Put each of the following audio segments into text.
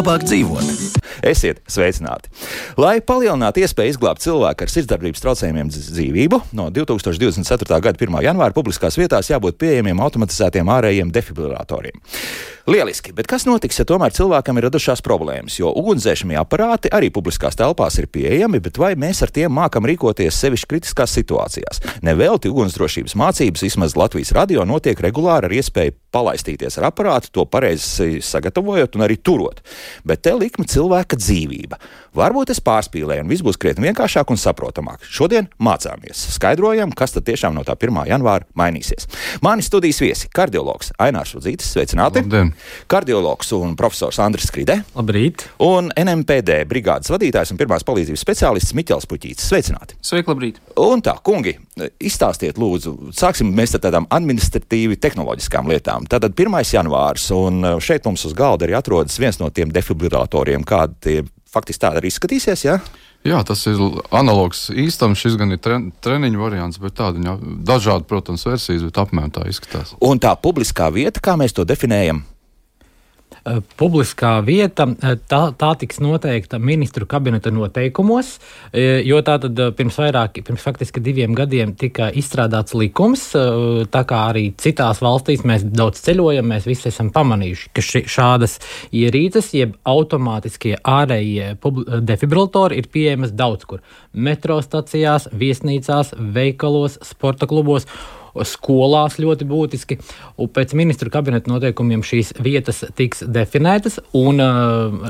labāk dzīvot. Esiet sveicināti! Lai palielinātu iespēju izglābt cilvēku ar sirdsdarbības traucējumiem dzīvību, no 2024. gada 1. janvāra publiskās vietās jābūt pieejamiem automatizētiem ārējiem defibrilatoriem. Lieliski, bet kas notiks, ja tomēr cilvēkam ir radušās problēmas, jo ugunsdzēšamie aparāti arī publiskās telpās ir pieejami, bet vai mēs ar tiem mākam rīkoties sevišķi kritiskās situācijās? Nevelti ugunsdrošības mācības, vismaz Latvijas radio, notiek regulāri ar iespēju palaistīties ar aparātu, to pareizi sagatavojot un arī turot. Bet te likme cilvēka dzīvība. Varbūt es pārspīlēju un viss būs krietni vienkāršāk un saprotamāk. Šodien mācāmies, skaidrojam, kas tad tiešām no tā 1. janvāra mainīsies. Mani studijas viesi - kardiologs Ainārs Rudzītis, sveicināti. Labdien. Kardiologs un profesors Andris Skridē. Labrīt. Un NMPD brigādes vadītājs un pirmās palīdzības speciālists Miķels Puķītis. Sveicināti. Sveiki, labrīt. Un tā, kungi, izstāstiet lūdzu, sāksim mēs ar tādām administratīvi tehnoloģiskām lietām. Tātad 1. janvārs, un šeit mums uz galda arī atrodas viens no tiem defibrilatoriem, kādi tie faktiski tāda arī izskatīsies, jā? Jā, tas ir analogs īstam, šis gan ir treniņu variants, bet tāda dažādi, protams, versijas, bet apmēram tā izskatās. Un tā publiskā vieta, kā mēs to definējam? Publiskā vieta, tā tiks noteikta ministru kabineta noteikumos, jo tātad pirms faktiski 2 gadiem tika izstrādāts likums, tā kā arī citās valstīs mēs daudz ceļojam, mēs visi esam pamanījuši, ka šādas ierīces, jeb automātiskie ārējie defibrilatori ir pieejamas daudz kur. Metro stacijās, viesnīcās, veikalos, sporta klubos, skolās ļoti būtiski, un pēc ministru kabineta noteikumiem šīs vietas tiks definētas, un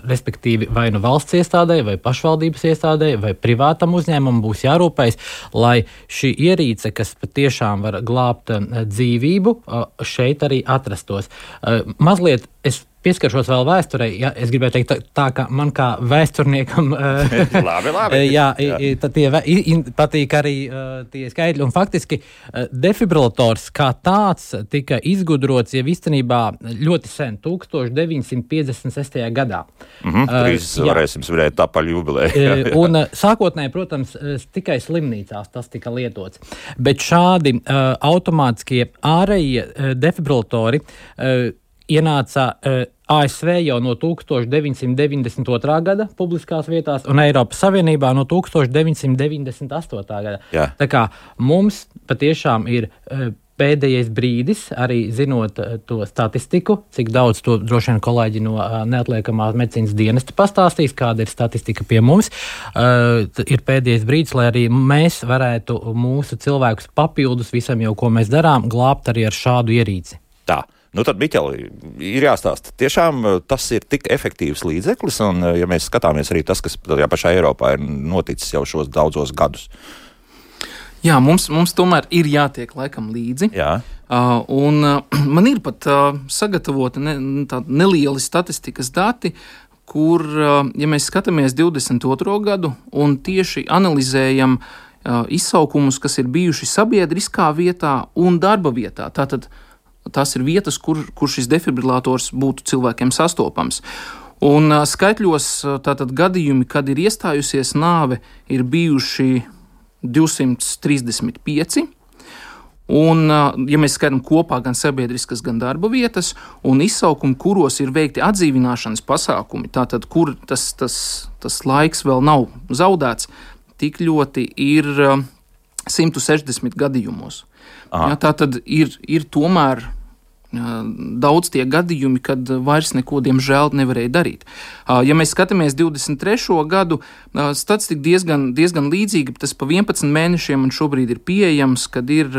respektīvi vai nu valsts iestādē, vai pašvaldības iestādē, vai privātam uzņēmumam būs jārūpējas, lai šī ierīce, kas patiešām var glābt dzīvību, šeit arī atrastos. Mazliet es pieskaršos vēl vēsturei. Ja, es gribēju teikt tā, ka man kā vēsturniekam patīk arī tie skaitļi. Un faktiski defibrillators kā tāds tika izgudrots jau īstenībā ļoti sen, 1956. gadā. Drīz varēsim svinēt apaļu jubileju. Un sākotnēji, protams, tikai slimnīcās tas tika lietots. Bet šādi automātiskie ārējie defibrillatori ienāca ASV jau no 1992. gada publiskās vietās un Eiropas Savienībā no 1998. gada. Jā. Tā kā mums patiešām ir pēdējais brīdis, arī zinot to statistiku, cik daudz to droši vien kolēģi no neatliekamās medicīnas dienesta pastāstīs, kāda ir statistika pie mums, ir pēdējais brīdis, lai arī mēs varētu mūsu cilvēkus papildus visam jau, ko mēs darām, glābt arī ar šādu ierīci. Tā. Nu tad, Miķeli, ir jāstāsta. Tiešām tas ir tik efektīvs līdzeklis, un ja mēs skatāmies arī tas, kas tajā pašā Eiropā ir noticis jau šos daudzos gadus. Jā, mums tomēr ir jātiek laikam līdzi. Jā. Un man ir pat sagatavota nelieli statistikas dati, kur, ja mēs skatāmies 22. gadu un tieši analizējam izsaukumus, kas ir bijuši sabiedriskā vietā un darba vietā, tātad tās ir vietas, kur šis defibrillators būtu cilvēkiem sastopams. Un skaitļos tātad gadījumi, kad ir iestājusies nāve, ir bijuši 235. Un, ja mēs skatām kopā gan sabiedriskas, gan darba vietas, un izsaukumi, kuros ir veikti atdzīvināšanas pasākumi, tātad, kur tas laiks vēl nav zaudēts, tik ļoti ir 160 gadījumos. Ja, tā tad ir tomēr daudz tie gadījumi, kad vairs neko, diemžēl, nevarēja darīt. Ja mēs skatāmies 23. gadu, statistika diezgan līdzīga, tas pa 11 mēnešiem un šobrīd ir pieejams, kad ir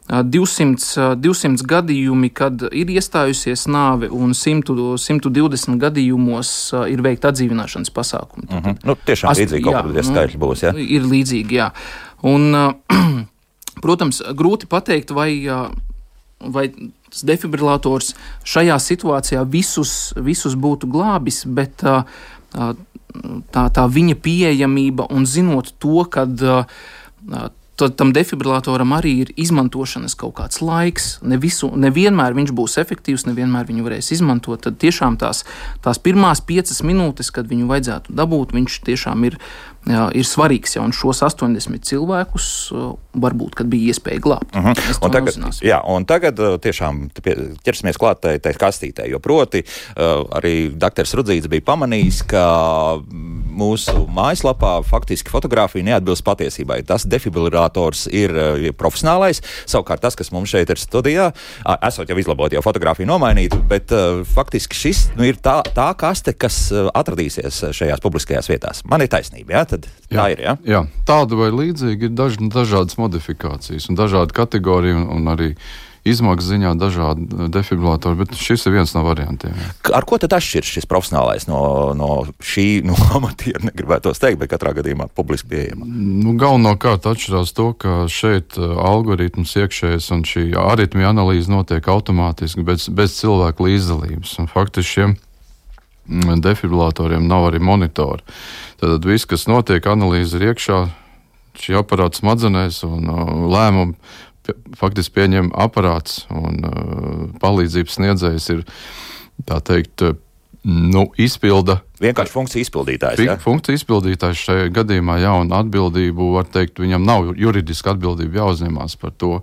200 gadījumi, kad ir iestājusies nāve, un 120 gadījumos ir veikta atdzīvināšanas pasākumi. Tiešām līdzīgi kaut kādi skaitļi būs, jā? Ir līdzīgi, jā. Un, protams, grūti pateikt, vai tas defibrillators šajā situācijā visus būtu glābis, bet tā viņa pieejamība un zinot to, kad tam defibrilatoram arī ir izmantošanas kaut kāds laiks. Nevienmēr viņš būs efektīvs, nevienmēr viņu varēs izmantot. Tad tiešām tās pirmās 5 minūtes, kad viņu vajadzētu dabūt, viņš tiešām ir svarīgs. Ja, un šos 80 cilvēkus varbūt, kad bija iespēja glābt. Un tagad tiešām ķersimies klāt tai kastītē, jo proti arī dr. Rudzīts bija pamanījis, ka mūsu mājaslapā faktiski fotografija neatbilst patiesībai. Tas defibrillators ir profesionālais, savukārt tas, kas mums šeit ir studijā, esot jau izlabot, jau fotografiju nomainītu, bet faktiski šis ir tā kaste, kas atradīsies šajās publiskajās vietās. Man ir taisnība, jā? Tā ir, jā, tāda vai līdzīga ir dažādas modifikācijas un dažādi kategorija un arī izmaksu ziņā dažādi defibrillatori, bet šis ir viens no variantiem. Jā. Ar ko tad atšķirs šis profesionālais no amatiera, negribētos teikt, bet katrā gadījumā publiski pieejama? Galvenokārt atšķirās to, ka šeit algoritms iekšējais un šī aritmija analīze notiek automātiski bez cilvēku līdzdalības. Un faktiski šiem defibrillatoriem nav arī monitori. Tad viss, kas notiek, analīze ir iekšā, šī aparāta smadzenēs un lēmumu faktiski pieņem aparāts un palīdzības sniedzējs ir, tā teikt, izpilda. Vienkārši funkcija izpildītājs, jā? Funkcija izpildītājs šajā gadījumā, jā, un atbildību, var teikt, viņam nav juridiska atbildība jāuzņemās par to.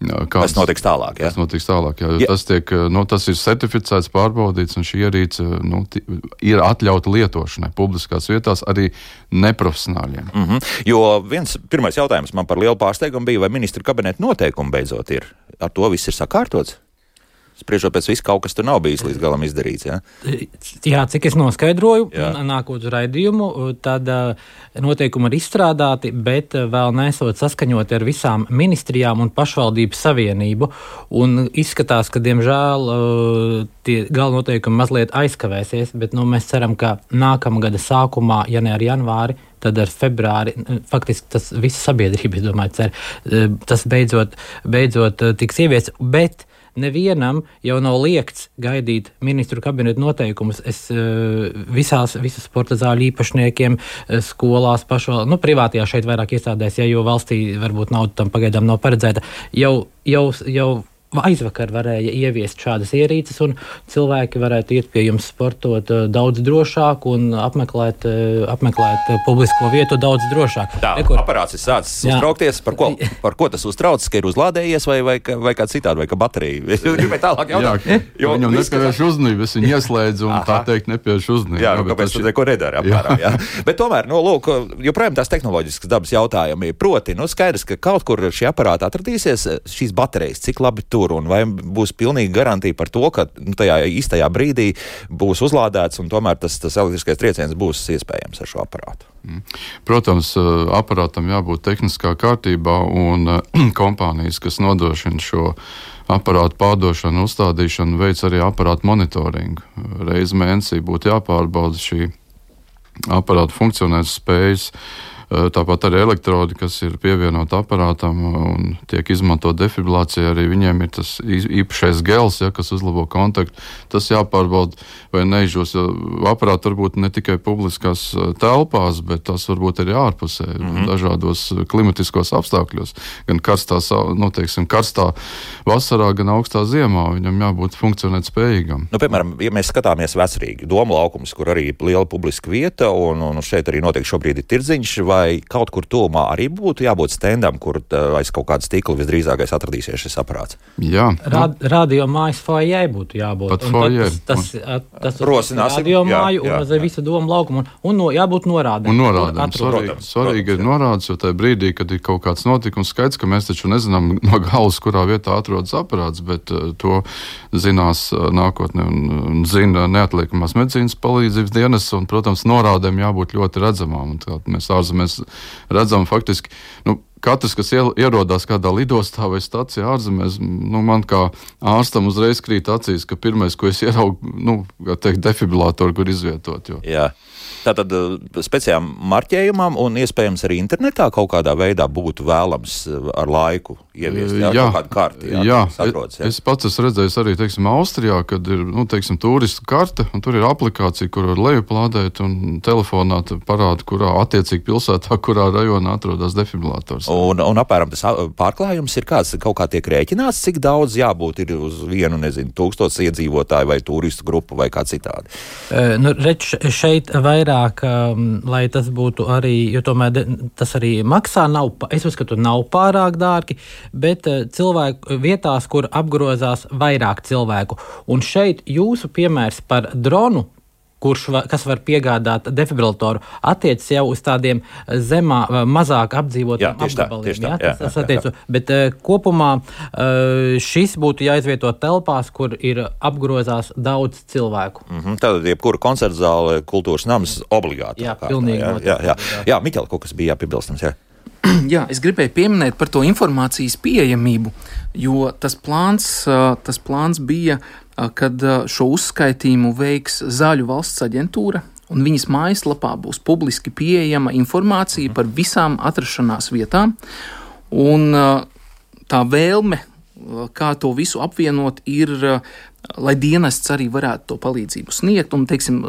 Tas notiks tālāk, jā? Tas notiks tālāk, jā. Tas ir certificēts, pārbaudīts, un šī ierīce ir atļauta lietošanai publiskās vietās arī neprofesionāļiem. Jo pirmais jautājums man par lielu pārsteigumu bija, vai ministra kabineta noteikumi beidzot ir. Ar to viss ir sakārtots? Spriežot pēc visu, kaut kas tur nav bijis līdz galam izdarīts, jā? Jā, cik es noskaidroju, nākot uz raidījumu, tad noteikumi ir izstrādāti, bet vēl nesot saskaņoti ar visām ministrijām un pašvaldību savienību. Un izskatās, ka, diemžēl, tie galvenoteikumi mazliet aizkavēsies, bet mēs ceram, ka nākamā gada sākumā, ja ne ar janvāri, tad ar februāri, faktiski tas visa sabiedrība, es domāju, cer, tas beidzot tiks ieviests, bet nevienam jau nav liekts gaidīt ministru kabinetu noteikumus. Visu sporta zāļu īpašniekiem, skolās, privātajā šeit vairāk iestādēs, jo valstī varbūt nauda tam pagaidām nav paredzēta, jau aizvakar varēja ieviest šādas ierīces, un cilvēki varētu iet pie jums sportot daudz drošāk un apmeklēt publisko vietu daudz drošāk. Aparāts ir sācis uztraukties. Par ko tas uztrauc? Ka ir uzlādējies vai kā citādi, vai kā baterija? Es gribēju tālāk jautāt. Viņam nepievērš uzmanību, es viņu ieslēdzu un tā teikt nepievērš uzmanību. Jā, kāpēc tu neko nedari apmēram, jā. Bet tomēr, joprojām tās tehnoloģiskas dabas jautājumi. Proti, skaidrs, ka kaut kur šī aparāta atradīsies, šīs baterijas, cik labi tur, un vai būs pilnīga garantija par to, ka tajā īstajā brīdī būs uzlādēts un tomēr tas elektriskais trieciens būs iespējams ar šo aparātu? Protams, aparātam jābūt tehniskā kārtībā un kompānijas, kas nodrošina šo aparātu pārdošanu, uzstādīšanu, veic arī aparātu monitoringu. Reiz mēnesī būtu jāpārbauda šī aparāta funkcionēs spējas. Tāpat arī elektrodi, kas ir pievienota aparātam un tiek izmantot defibrilācijā, arī viņiem ir tas īpašais gels, kas uzlabo kontaktu. Tas jāpārbauda, vai neizžos. Aparāti varbūt ne tikai publiskās telpās, bet tas varbūt arī ārpusē, dažādos klimatiskos apstākļos. Gan karstā vasarā, gan augstā ziemā. Viņam jābūt funkcionēt spējīgam. Piemēram, ja mēs skatāmies Vecrīgi, Doma laukums, kur arī liela publiska vieta, un šeit arī notiek šobrīd ir tirdziņš, vai kaut kur tuvumā arī būtu jābūt stendam, kur aiz kaut kāda stikla visdrīzākais atradīsies šis aparāts? Jā. Radio mājas foajē būtu jābūt. Pat foajē. Tas radio māju un visu Domu laukumu. Un jābūt norādēm. Svarīgi ir norādes, jo tajā brīdī, kad ir kaut kāds notikums, skaidrs, ka mēs taču nezinām no galas, kurā vietā atrodas aparāts, bet to zinās nākotnē un zina neatliekamās medicīnas palīdzības dienas, un, protams, norādēm jābūt ļoti redzamām. Un mēs ārzemēs redzam faktiski, katrs, kas ierodās kādā lidostā vai stacijā ārzemēs, man kā ārstam uzreiz krīt acīs, ka pirmais, ko es ieraugu, defibrilātoru, kur izvietot. Jā. Tātad speciālām marķējumam un iespējams arī internetā kaut kādā veidā būtu vēlams ar laiku ieviest kaut kādu karti. Es pats esmu redzējis arī, Austrijā, kad ir, turistu karte, un tur ir aplikācija, kur var lejuplādēt un telefonā parāda, kurā attiecīgi pilsētā, kurā rajonā atrodas defibrilātors. Un apmēram tas pārklājums ir kāds, kaut kā tiek rēķināts, cik daudz jābūt ir uz vienu, 1000 iedzīvotāju vai turistu grupu vai kā citādi? Šeit vairāk, lai tas būtu arī, jo tomēr tas arī maksā, es uzskatu, nav pārāk dārgi, bet cilvēku vietās, kur apgrozās vairāk cilvēku. Un šeit jūsu piemērs par dronu, kas var piegādāt defibrillatoru, attiecas jau uz tādiem mazāk apdzīvotiem apgabaliem. Tas attiecu. Bet kopumā šis būtu jāizvieto telpās, kur ir apgrozās daudz cilvēku. Tātad jebkura koncerta zāle, kultūras nams obligāti. Jā, pilnīgi. Jā, Miķel, kaut kas bija jāpiebilstams, jā. Jā, es gribēju pieminēt par to informācijas pieejamību, jo tas plāns bija, kad šo uzskaitījumu veiks Zāļu valsts aģentūra, un viņas mājaslapā būs publiski pieejama informācija par visām atrašanās vietām, un tā vēlme, kā to visu apvienot, ir, lai dienests arī varētu to palīdzību sniegt, un, teiksim,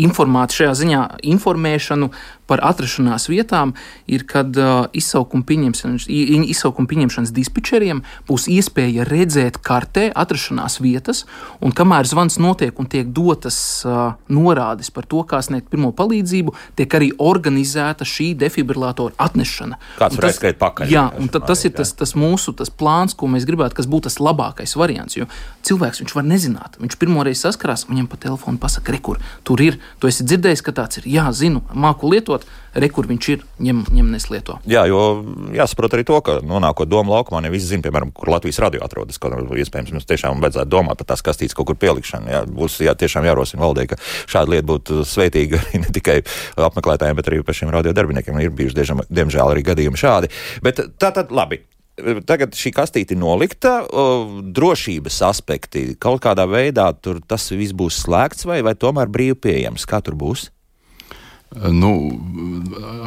informēt šajā ziņā informēšanu par atrašanās vietām ir, kad izsaukuma pieņemšanas dispečeriem būs iespēja redzēt kartē atrašanās vietas, un kamēr zvans notiek un tiek dotas norādes par to, kā sniegt pirmo palīdzību, tiek arī organizēta šī defibrillātora atnešana. Kāds var aizskriet pakaļ. Jā, un tas ir tas mūsu plāns, ko mēs gribētu, kas būtu tas labākais variants, jo cilvēks viņš var nezināt. Viņš pirmoreiz saskarās, viņam pa telefonu pasaka, rekur, tur ir, tu esi dzirdējis, ka tāds ir, jā, zinu, māku lietot, rekur viņš ir, ņem neslieto. Jā, jo jāsaprot arī to, ka nonākot domu laukumā, ne visi zina, piemēram, kur Latvijas radio atrodas, kaut iespējams mums tiešām vajadzētu domāt par tās kastītes kaut kur pielikšanu. Jā, būs tiešām jārosina valdē, ka šāda lieta būtu svētīga ne tikai apmeklētājiem, bet arī pašiem radio darbiniekiem. Ir bijuši, diemžēl, arī gadījumi šādi. Bet tātad labi. Tagad šī kastīte ir nolikta, drošības aspekti kaut kādā veidā tur tas viss būs slēgts vai tomēr brīvi pieejams? Kā tur būs?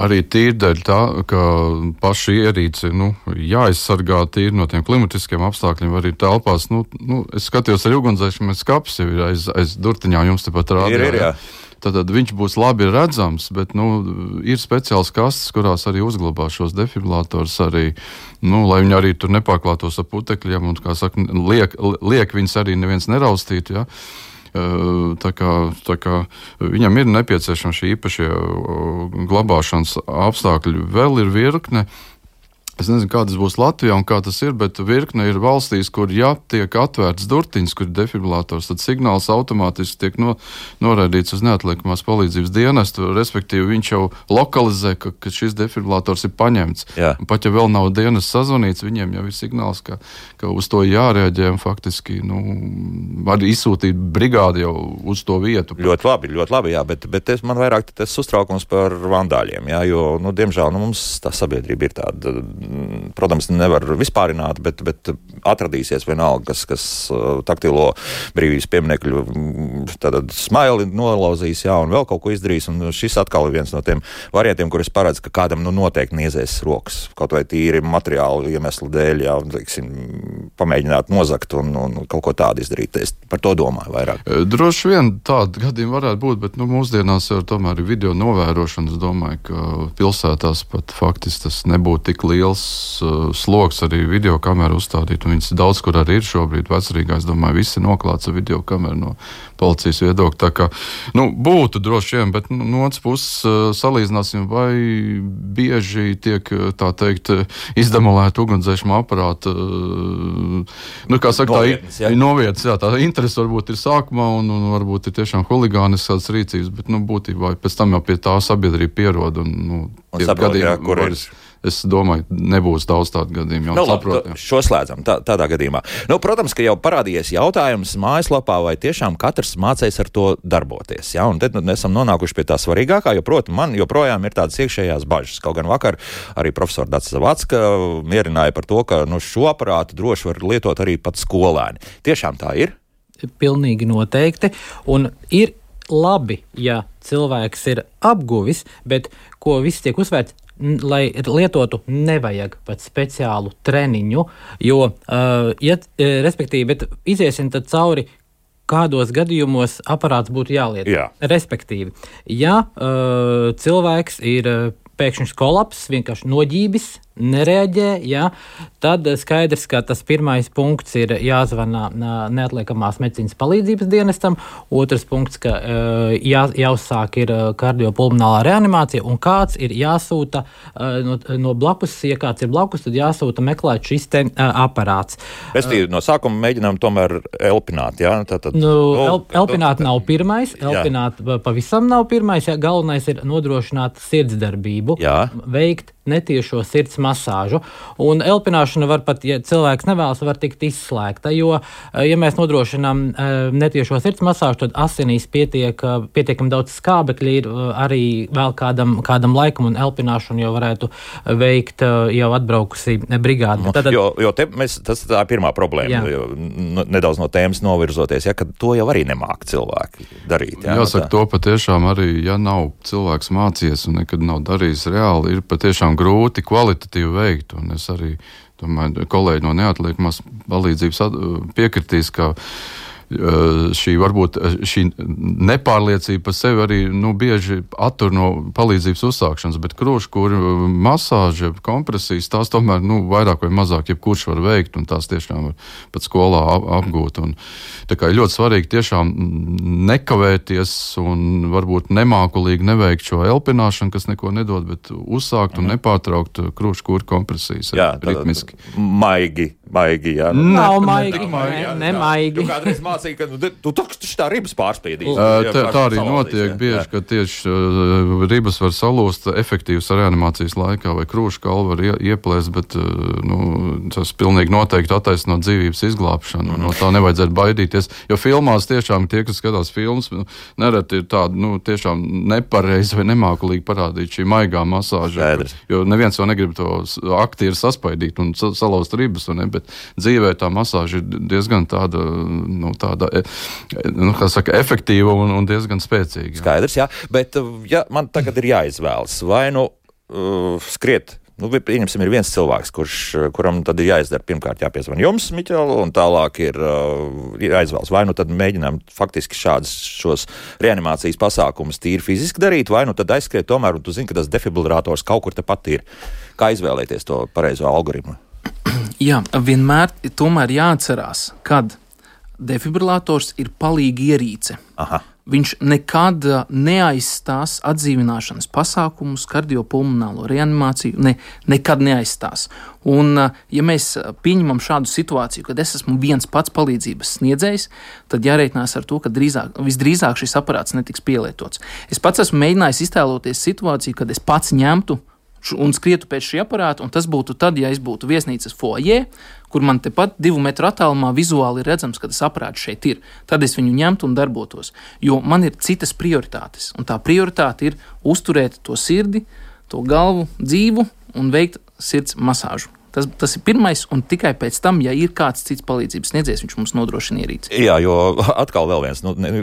Arī tīri dēļ tā, ka paši ierīci jāaizsargā tīri no tiem klimatiskiem apstākļiem, arī telpās. Es skatījos ar ugunsdzēsšanas skapis jau ir aiz durtiņām, jums tepat rādījā. Ir. Tad viņš būs labi redzams, bet ir speciāls kastes, kurās arī uzglabā šos defibrilātors arī, lai viņi arī tur nepārklātos ar putekļiem un, kā saka, liek viņus arī neviens neraustīt, ja. Tā kā viņam ir nepieciešama šī īpašie glabāšanas apstākļi. Vēl ir virkne. Es nezinu, kā tas būs Latvijā un kā tas ir, bet virkne ir valstīs, kur tiek atvērts durtiņas, kur ir defibrilātors, tad signāls automātiski tiek noraidīts uz neatliekamās palīdzības dienestu, respektīvi viņš jau lokalizē, ka šis defibrilātors ir paņemts. Jā. Pat ja vēl nav dienas sazvanīts, viņiem jau ir signāls, ka uz to jārēģē un faktiski var izsūtīt brigādi jau uz to vietu. Ļoti labi, jā, bet man vairāk tas uztraukums par vandāļiem, jā, jo, diemžēl, mums tā sabiedrība ir tāda. Protams, nevar vispārināt, bet atradīsies vienalga, kas taktilo brīvības pieminekļu smaili nolauzīs, jā, un vēl kaut ko izdarīs, un šis atkal ir viens no tiem variantiem, kur es paredzu, ka kādam noteikti niezēs rokas, kaut vai tīri materiālu iemeslu dēļ, jā, teiksim, pamēģināt nozakt un kaut ko tādu izdarīt. Es par to domāju vairāk. Droši vien tādi gadījumi varētu būt, bet mūsdienās jau tomēr ir video novērošana. Es domāju, ka pilsētās pat faktiski tas nebūtu tik liels sloks arī video kameru uzstādīt, un viņas daudz kur arī ir šobrīd Vecrīgā. Es domāju, visi ir noklāts ar video kameru no policijas viedokļa. Tā kā, būtu droši vien, bet no otras puses salīdzināsim, vai bieži tiek, tā teikt, izdemolēta ugunsdzēsuma aparāta, kā saka, novietas, jā, tā interese varbūt ir sākumā, un varbūt ir tiešām huligāniskas rīcības, bet, būtībā pēc tam jau pie tā sabiedrība pierod, un saprot, jā, kur ir. Es domāju, nebūs daudz tādu gadījumu. Šo slēdzam tādā gadījumā. Protams, ka jau parādījies jautājums mājaslapā, vai tiešām katrs mācēs ar to darboties. Ja? Un tad esam nonākuši pie tā svarīgākā, jo, protams, man joprojām ir tādas iekšējās bažas. Kaut gan vakar arī profesora Dācis Zavacka mierināja par to, ka šo aparātu droši var lietot arī pat skolēni. Tiešām tā ir? Pilnīgi noteikti. Un ir labi, ja cilvēks ir apguvis, bet ko viss tiek uzsvērts, lai lietotu, nevajag pat speciālu treniņu, jo, respektīvi, bet iziesim tad cauri, kādos gadījumos aparāts būtu jālieto. Jā. Respektīvi, ja cilvēks ir pēkšņs kolaps, vienkārši noģībis, nereaģē, ja, tad skaidrs, ka tas pirmais punkts ir jāzvana neatliekamās medicīnas palīdzības dienestam, otrs punkts, ka jāuzsāk ir kardiopulmonālā reanimācija, un kāds ir jāsūta no blakus, ja kāds ir blakus, tad jāsūta meklēt šis te aparāts. Restīvi, no sākuma mēģinām tomēr elpināt, jā? Elpināt nav pirmais, elpināt pavisam nav pirmais, ja galvenais ir nodrošināt sirdsdarbību, veikt netiešo sirds masāžu. Un elpināšana var pat, ja cilvēks nevēlas, var tikt izslēgta, jo, ja mēs nodrošinām netiešo sirds masāžu, tad asinīs pietiekami daudz skābekļi ir arī vēl kādam laikam, un elpināšanu jau varētu veikt jau atbraukusi brigāde. Jo tas tā ir pirmā problēma, nedaudz no tēmas novirzoties, ka to jau arī nemāk cilvēki darīt. Jāsaka, to patiešām arī, ja nav cilvēks mācījies un nekad nav darījis reāli, ir patiešām grūti kvalitatīvi veikt, un es arī domāju, kolēģi no neatliekamās palīdzības piekritīs, ka šī nepārliecība par sevi arī bieži attur no palīdzības uzsākšanas, bet krūškuru masāža, kompresijas, tās tomēr vairāk vai mazāk jebkurš var veikt, un tās tiešām var pat skolā apgūt. Un, tā kā ir ļoti svarīgi tiešām nekavēties un varbūt nemākulīgi neveikt šo elpināšanu, kas neko nedod, bet uzsākt un nepārtraukt krūškuru kompresijas ritmiski. Maigi, jā. Nav maigi, nemaigi. Kādreiz mācīja, ka tu taču tā ribas pārspīdīs. Tā arī notiek bieži, ka tieši ribas var salūst efektīvas reanimācijas laikā, vai krūškaula var ieplēst, bet tas pilnīgi noteikti attaisno dzīvības izglābšanu. No tā nevajadzētu baidīties, jo filmās tiešām tie, kas skatās filmas, nereti ir tāda, tiešām nepareizi vai nemākulīgi parādīt šī maigā masāža, jo neviens jau negrib to aktieri saspaidīt un salauzt ribas, bet dzīvē tā masāža ir diezgan tāda efektīva un diezgan spēcīga. Skaidrs, jā, bet ja man tagad ir jāizvēlas, vai skriet, pieņemsim, ir viens cilvēks, kuram tad ir jāizdara, pirmkārt jāpiezvan jums, Miķel, un tālāk ir jāizvēlas, vai tad mēģinām faktiski šos reanimācijas pasākumus tīri fiziski darīt, vai tad aizskriet tomēr, un tu zini, ka tas defibrillators kaut kur tepat ir. Kā izvēlēties to pareizo algoritmu? Jā, vienmēr tomēr jāatcerās, kad defibrillators ir palīga ierīce. Aha. Viņš nekad neaizstās atdzīvināšanas pasākumus, kardiopulmonālo reanimāciju, nekad neaizstās. Un, ja mēs pieņemam šādu situāciju, kad es esmu viens pats palīdzības sniedzējs, tad jārēķinās ar to, ka visdrīzāk šis aparāts netiks pielietots. Es pats esmu mēģinājis iztēloties situāciju, kad es pats ņemtu un skrietu pēc šī aparāta, un tas būtu tad, ja es būtu viesnīcas foajē, kur man tepat 2 metru attālumā vizuāli ir redzams, ka tas aparāts šeit ir. Tad es viņu ņemtu un darbotos, jo man ir citas prioritātes, un tā prioritāte ir uzturēt to sirdi, to galvu dzīvu un veikt sirds masāžu. Tas ir pirmais, un tikai pēc tam, ja ir kāds cits palīdzības sniedzējs, viņš mums nodrošina ierīci. Jā, jo atkal vēl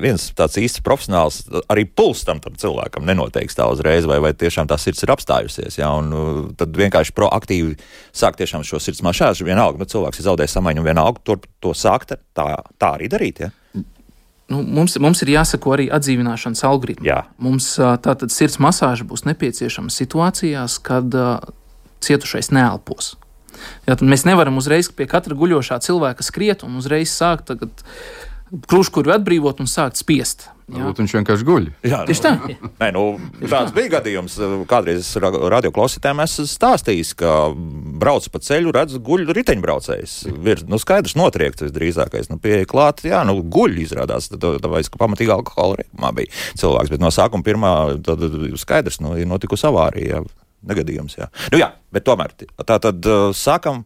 viens tāds īsts profesionāls, arī puls tam cilvēkam nenoteiks tā uzreiz, vai tiešām tā sirds ir apstājusies, jā, un tad vienkārši proaktīvi sāk tiešām šo sirds masāžu, vienalga, cilvēks ir zaudējis samaņu, un vienalga to sākt tā arī darīt, jā? Mums ir jāsako arī atdzīvināšanas algoritmi. Jā. Mums tātad sirds masāža būs nepieciešama situācijās, kad cietušais neelpos. Jā, tad mēs nevaram uzreiz pie katra guļošā cilvēka skriet un uzreiz sākt krūškuru atbrīvot un sākt spiest. Varbūt viņš vienkārši guļ. Jā, tieši tā. Tāds bija gadījums. Kādreiz radioklausītājiem esmu stāstījis, ka brauc pa ceļu, redz guļ riteņbraucējs. Skaidrs notriekts visdrīzākais. Pieeja klāt, guļ izrādās. Tāpēc, ka pamatīgi alkohola reibumā bija cilvēks. Bet no sākuma pirmā skaidrs, ir notikusi avārija. Negadījums, jā. Bet tomēr tā tad sākam,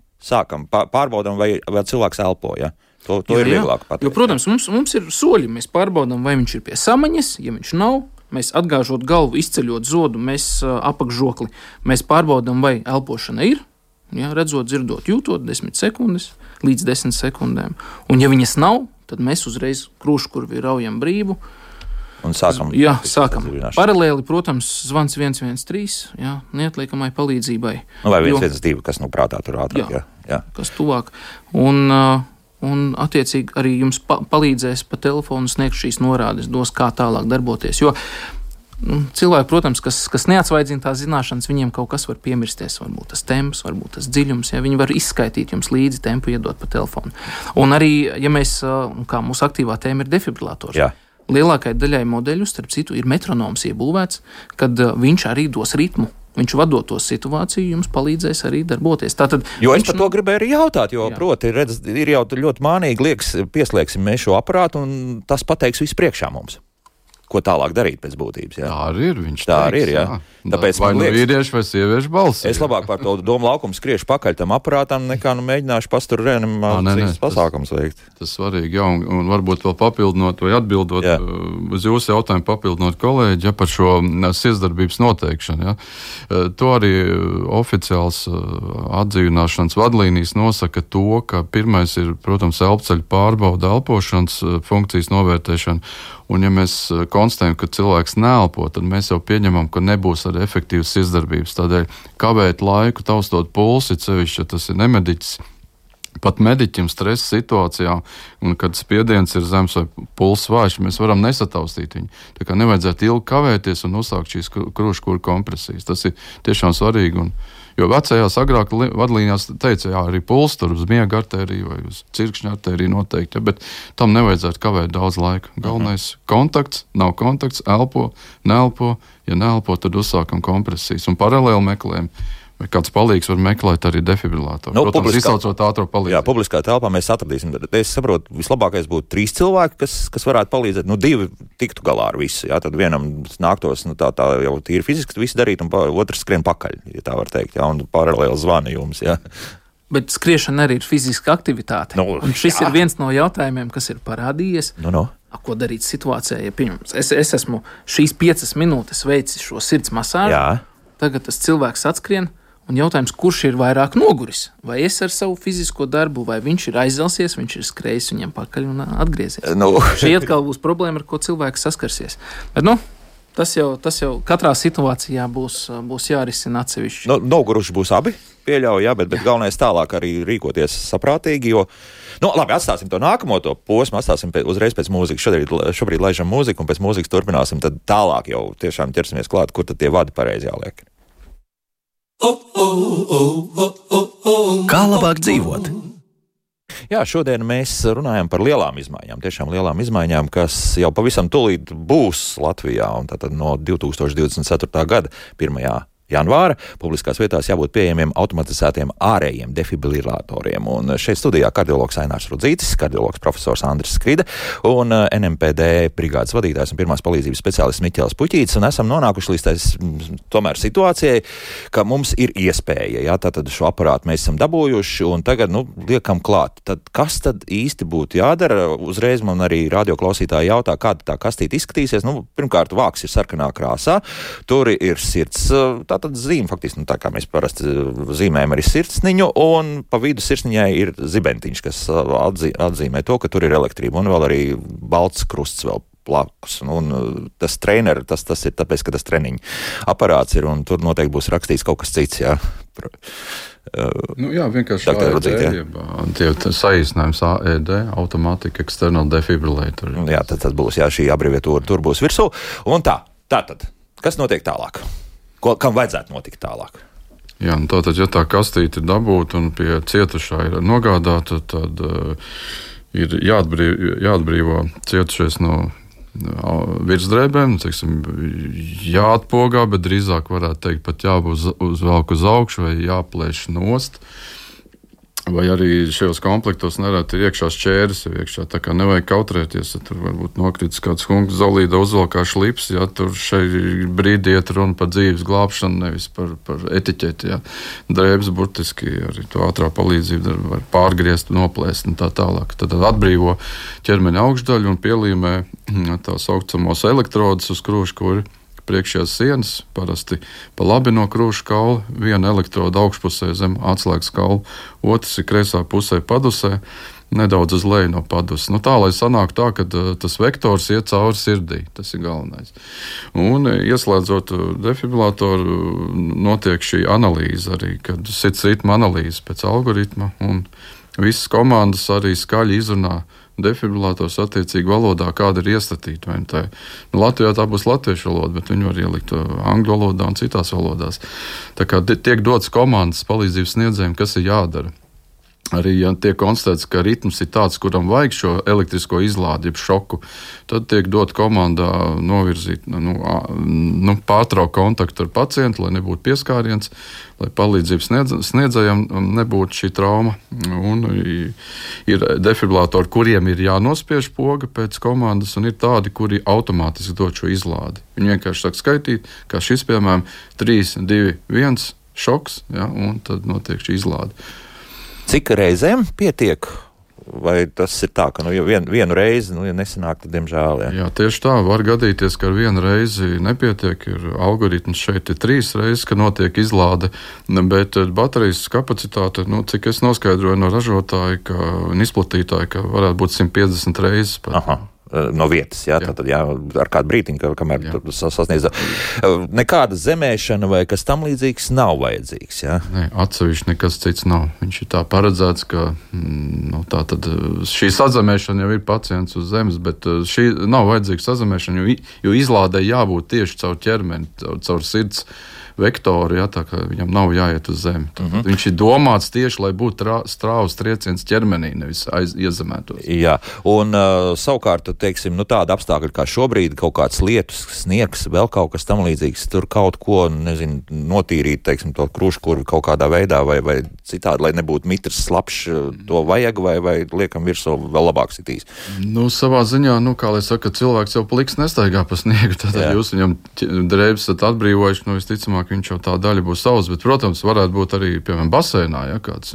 pārbaudam, vai cilvēks elpo, jā. To ir vieglāk pateikt. Jo, protams, mums ir soļi, mēs pārbaudam, vai viņš ir pie samaņas, ja viņš nav, mēs atgāžot galvu, izceļot zodu, mēs apakšžokli, mēs pārbaudam, vai elpošana ir, jā, redzot, dzirdot, jūtot 10 sekundes līdz 10 sekundēm. Un ja viņas nav, tad mēs uzreiz krūškurvi raujam brīvu. Un sākam. Jā, sākam. Paralēli, protams, zvans 113, jā, neatliekamai palīdzībai. Vai 112, kas prātā tur ātrāk, jā. Kas tuvāk. Un attiecīgi arī jums palīdzēs pa telefonu sniegt šīs norādes, dos, kā tālāk darboties. Jo cilvēki, protams, kas neatsvaidzina tās zināšanas, viņiem kaut kas var piemirsties, varbūt tas temps, varbūt tas dziļums, ja viņi var izskaitīt jums līdzi tempu, iedot pa telefonu. Un arī, ja mēs, kā mūsu aktīvā tēma ir defibrilātors, lielākai daļai modeļu, starp citu, ir metronoms iebūvēts, kad viņš arī dos ritmu. Viņš vadot to situāciju, jums palīdzēs arī darboties. Tātad, jo es par to gribēju arī jautāt, jo, proti, ir jau ļoti mānīgi, liekas, pieslēgsim mēs šo aparātu, un tas pateiks visu priekšā mums. Ko tālāk darīt pēc būtības. Jā. Tā arī ir. Tā arī ir, jā. Tāpēc vai nu vīrieši vai sieviešu balsi. Es labāk par to domu laukumu skriešu pakaļ tam aparātam, nekā mēģināšu pastur reanimācijas pasākums veikt. Tas svarīgi, jā, un varbūt vēl papildinot vai atbildot uz jūsu jautājumu, papildinot kolēģi, par šo sirdsdarbības noteikšanu. Ja. To arī oficiāls atdzīvināšanas vadlīnijas nosaka to, ka pirmais ir, protams, elpceļu pārbauda, elpošanas funkcijas novērtēšana. Un, ja mēs konstatējam, ka cilvēks neelpo, tad mēs jau pieņemam, ka nebūs arī efektīvas sirdsdarbības. Tādēļ kavēt laiku, taustot pulsi, sevišķi, ja tas ir nemediķis, pat mediķim stresa situācijā, un kad spiediens ir zems vai pulss vājš, mēs varam nesataustīt viņu. Tā kā nevajadzētu ilgi kavēties un uzsākt šīs krūškura kompresijas. Tas ir tiešām svarīgi. Jo vecajās agrāk vadlīnijās teica, jā, arī puls tur uz miega artēriju vai uz cirkšņa artēriju noteikti, bet tam nevajadzētu kavēt daudz laika. Galvenais kontakts, nav kontakts, elpo, neelpo. Ja neelpo, tad uzsākam kompresijas un paralēli meklējam. Vai kāds palīgs var meklēt arī defibrilātoru. Protams, izsaucot ātro palīdzību. Jā, publiskā telpā mēs atradīsim. Es saprotu, vislabākais būtu 3 cilvēki, kas varētu palīdzēt. 2 tiktu galā ar visu. Jā, tad vienam nāktos tā jau tīri fiziski visu darīt, un otrs skrien pakaļ, ja tā var teikt. Jā, un paralēli zvani jums. Jā. Bet skriešana arī ir fiziska aktivitāte. Un šis ir viens no jautājumiem, kas ir parādījies. Ko darīt situācijā, ja pieņemams. Es esmu šīs 5 minūtes veicis šo sirds masāžu. Tagad tas cilvēks atskrien. Un jautājums, kurš ir vairāk noguris? Vai es ar savu fizisko darbu, vai viņš ir aizzelsies, viņš ir skrējis viņam pakaļ un atgriezies? Šī atkal būs problēma, ar ko cilvēks saskarsies. Bet, tas jau katrā situācijā būs jārisina atsevišķi. Noguruši būs abi, pieļauju, bet galvenais tālāk arī rīkoties saprātīgi, jo labi, atstāsim to nākamo posmu, atstāsim uzreiz pēc mūzikas. Šobrīd laižam mūziku, un pēc mūzikas turpināsim, tad tālāk jau tiešām ķersimies klāt, kur tad tie vadi pareizi jāliek. Kā labāk dzīvot? Jā, šodien mēs runājam par lielām izmaiņām, tiešām lielām izmaiņām, kas jau pavisam tūlīt būs Latvijā, un tātad no 2024. gada 1. janvāra publiskās vietās jābūt pieejamiem automatizētiem ārējiem defibrilātoriem. Un šeit studijā kardiologs Ainārs Rudzītis, kardiologs profesors Andris Skride un NMPD brigādes vadītājs un pirmās palīdzības speciālists Miķels Puķītis, un esam nonākuši līdz tomēr situācijai, ka mums ir iespēja, tātad šo aparātu mēs esam dabūjuši, un tagad, liekam klāt. Tad kas tad īsti būtu jādara? Uzreiz man arī radioklausītāji jautā, kāda tā kastīte izskatīsies. Pirmkārt, vāks ir sarkanā krāsā, tur ir sirds, tātad zīme, faktiski, tā kā mēs parasti zīmējam arī sirdsniņu, un pa vidu sirdsniņai ir zibentiņš, kas atzīmē to, ka tur ir elektrība, un vēl arī balts krusts vēl plakus. Un tas trener, tas ir tāpēc, ka tas treniņu aparāts ir, un tur noteikti būs rakstīts kaut kas cits, jā. Vienkārši AED, saīsinājums AED, Automatic External Defibrillator. Jā, tad tas būs, šī abreviatūra tur būs virsū. Un tātad, kas notiek tālāk? Kam vajadzētu notikt tālāk? Jā, tātad, ja tā kastīte ir dabūta un pie cietušā ir nogādāta, tad ir jāatbrīvo cietušais no virsdrēbēm, jāatpogā, bet drīzāk varētu teikt, pat jāuzvelk uz augšu vai jāplēš nost. Vai arī šajos komplektos nereti ir iekšā šķēres, iekšā, tā kā nevajag kautrēties, ja tur varbūt nokritis kāds hunks zolīda uzvalkā šlips, ja tur šai brīdī iet runa par dzīves glābšanu, nevis par etiķeti, ja. Drēbes burtiski arī to ātrā palīdzību var pārgriezt, noplēst un tā tālāk. Tad atbrīvo ķermeņa augšdaļu un pielīmē tā saucamos elektrodus uz krūškuri. Priekšējās sienas, parasti pa labi no krūša kaula, viena elektroda augšpusē zem atslēgas kaula, otrs ir kreisā pusē padusē, nedaudz uz leju no padus. Tā, lai sanāk tā, ka tas vektors iet cauri sirdī, tas ir galvenais. Un ieslēdzot defibrilātoru, notiek šī analīze arī, kad sirds ritma analīze pēc algoritma, un visas komandas arī skaļi izrunā defibrilātors attiecīgi valodā, kāda ir iestatīta. Latvijā tā būs latviešu valoda, bet viņi var ielikt angļu valodā un citās valodās. Tā kā tiek dots komandas palīdzības sniedzējiem, kas ir jādara. Arī, ja tiek konstatēts, ka ritms ir tāds, kuram vajag šo elektrisko izlādi, jeb šoku, tad tiek dot komandā novirzīt, pārtraukt kontaktu ar pacientu, lai nebūtu pieskāriens, lai palīdzības sniedzējiem nebūtu šī trauma. Un ir defibrilātori, kuriem ir jānospiež poga pēc komandas, un ir tādi, kuri automātiski dod šo izlādi. Viņi vienkārši sāk skaitīt, kā šis, piemēram, 3, 2, 1 šoks, ja, un tad notiek šī izlāde. Cik reizēm pietiek? Vai tas ir tā, ka vienu reizi, ja nesanāk, tad diemžēl? Jā, tieši tā. Var gadīties, ka ar vienu reizi nepietiek. Algoritms šeit ir 3 reizes, ka notiek izlāde, bet baterijas kapacitāte, cik es noskaidroju no ražotāja un izplatītāja, ka varētu būt 150 reizes. Aha. No vietas, jā. Tātad, ar kādu brītiņu, kamēr sasniedz. Nekāda zemēšana vai kas tam līdzīgs nav vajadzīgs, jā? Nē, atsevišķi nekas cits nav. Viņš ir tā paredzēts, ka tātad šī sazemēšana jau ir pacients uz zemes, bet šī nav vajadzīga sazemēšana, jo izlādē jābūt tieši caur ķermeni, caur sirds vektoru, tā kā viņam nav jāiet uz zemi. Viņš ir domāts tieši, lai būtu strāvas trieciens ķermenī, nevis iezemētos. Jā, un savukārt, teiksim, tāda apstākļa kā šobrīd, kaut kāds lietus, sniegs, vēl kaut kas tam līdzīgs, tur kaut ko, notīrīt, teiksim, to kruškurvi kaut kādā veidā vai citādi, lai nebūtu mitrs slapšs, to vajag vai liekam virsū vēl labāk sitīs? Savā ziņā, kā lai saka, cilvēks jau pliks nestaigā pa sniegu, tātad jūs viņam drēbes atbrīvojuši, visticamāk, viņš jau tā daļa būs savs, bet, protams, varētu būt arī, piemēram, basēnā, kāds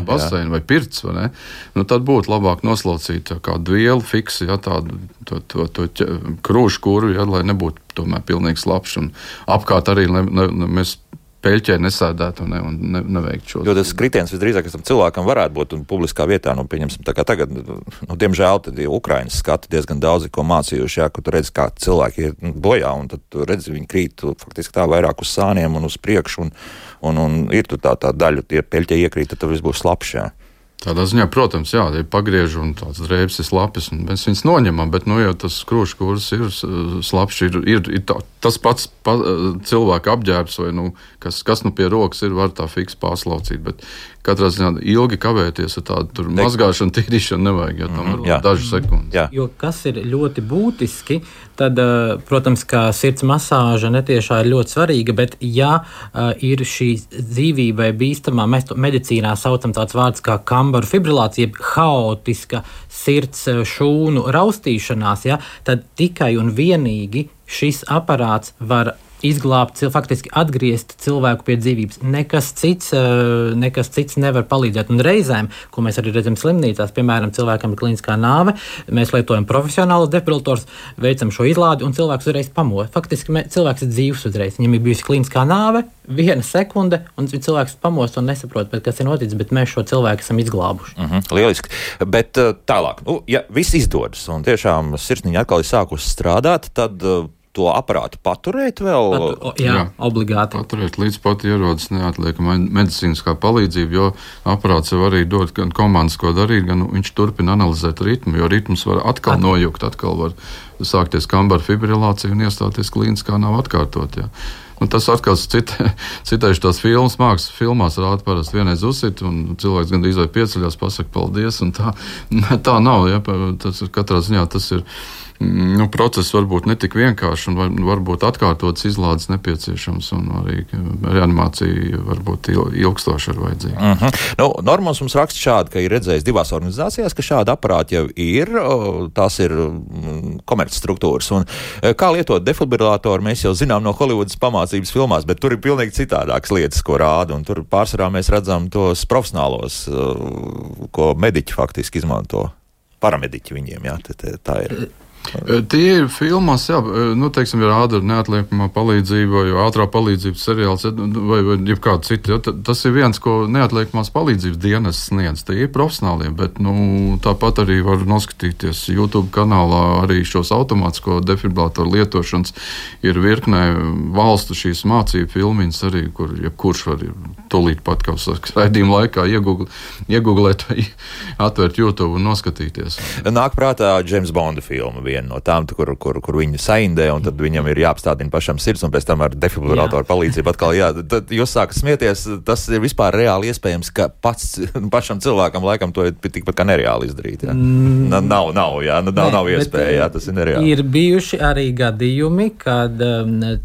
basēna vai pirts, vai ne? Tad būtu labāk noslaucīt kādu vielu fiksi, tādu to krūšu kurvi, lai nebūtu tomēr pilnīgi slapšs, un apkārt arī, lai mēs peļķē nesēdētu un neveiktu šo. Jo tas kritiens visdrīzāk tam cilvēkam varētu būt un publiskā vietā, pieņemsim, tā kā tagad, diemžēl, tad Ukrainas skati diezgan daudzi, ko mācījuši, ka tu redzi, kā cilvēki ir bojā, un tad tu redzi, viņi krīt faktiski tā vairāk uz sāniem un uz priekšu, un ir tur tā daļa, tie peļķē iekrīt, tad viss būs slapšs, jā. Tādā ziņā, protams, ja pagriež un tāds drēbes ir slapjas, un mēs viņus noņemam, bet, jau tas krūškurs ir slapšs, ir tas pats cilvēka apģērbs, vai, kas pie rokas ir, var tā fiks pārslaucīt, bet katrā ziņā ilgi kavēties ar tādu mazgāšanu, tīrīšanu nevajag, tam var dažas sekundes. Jā. Jo kas ir ļoti būtiski, tad, protams, ka sirds masāža netiešā ir ļoti svarīga, bet ir šī dzīvībai bīstamā, mēs to medicīnā saucam tāds vārds kā kambaru fibrilācija, haotiska sirds šūnu raustīšanās, tad tikai un vienīgi šis aparāts var izglābt, faktiski atgriezt cilvēku pie dzīvības. Nekas cits nevar palīdzēt. Un reizēm, ko mēs arī redzam slimnīcās, piemēram, cilvēkam ir klīniskā nāve, mēs lietojam profesionālus defibrilātors, veicam šo izlādi un cilvēks uzreiz pamost. Faktiski cilvēks ir dzīvs uzreiz. Viņam ir bijusi klīniskā nāve, 1 sekunde, un cilvēks pamost un nesaprot, kas ir noticis, bet mēs šo cilvēku esam izglābuši. Lieliski. Bet tālāk, ja viss izdodas un tiešām sirsniņa atkal ir sākusi strādāt, tad to aparātu paturēt vēl? Jā, obligāti. Paturēt līdz pat ierodas neatliekama medicīniskā palīdzība, jo aparāts jau arī dod gan komandas, ko darīt, gan viņš turpina analizēt ritmu, jo ritms var atkal nojukt, atkal var sākties kambaru fibrilācija un iestāties klīniskā nav atkārtot. Jā. Un tas atkal citējuši tās mākslas filmās rāda parasti vienreiz uzsit, un cilvēks gandrīz vai pieceļās, pasaka paldies, un tā nav. Ja? Tas katrā ziņā tas ir process varbūt ne tik vienkārši, un varbūt atkārtotas izlādes nepieciešams, un arī reanimācija varbūt ilgstoši ir vajadzīga. Normans mums raksta šādi, ka ir redzējis 2 organizācijās, ka šādi aparāti jau ir, tās ir komercstruktūras, un kā lietot defibrilātoru mēs jau zinām no Holivudas pamācības filmās, bet tur ir pilnīgi citādākas lietas, ko rāda, un tur pārsvarā mēs redzam tos profesionālos, ko mediķi faktiski izmanto. Paramediķi viņiem, tā ir. Tie ir filmās, jā, teiksim, ir rāda neatliekamā palīdzība, vai ātrā palīdzības seriāls, vai jebkāda cita. Tas ir viens, ko neatliekamās palīdzības dienas sniedz. Tie ir profesionālie, bet tāpat arī var noskatīties YouTube kanālā arī šos automātisko defibrillatoru lietošanas. Ir virknē valstu šīs mācību filmiņas arī, kur jebkurš var tūlīt pat, kā saka, raidījuma laikā iegooglēt vai atvērt YouTube un noskatīties. Nāk prātā James Bonda filma viena no tām, kur viņi saindē, un tad viņam ir jāapstādina pašam sirds, un pēc tam ar defibrillatoru palīdzību atkal tad jūs sākat smieties, tas ir vispār reāli iespējams, ka pašam cilvēkam laikam to ir tikpat kā nereāli izdarīt. Jā. Nav iespēja, jā, tas ir nereāli. Ir bijuši arī gadījumi, kad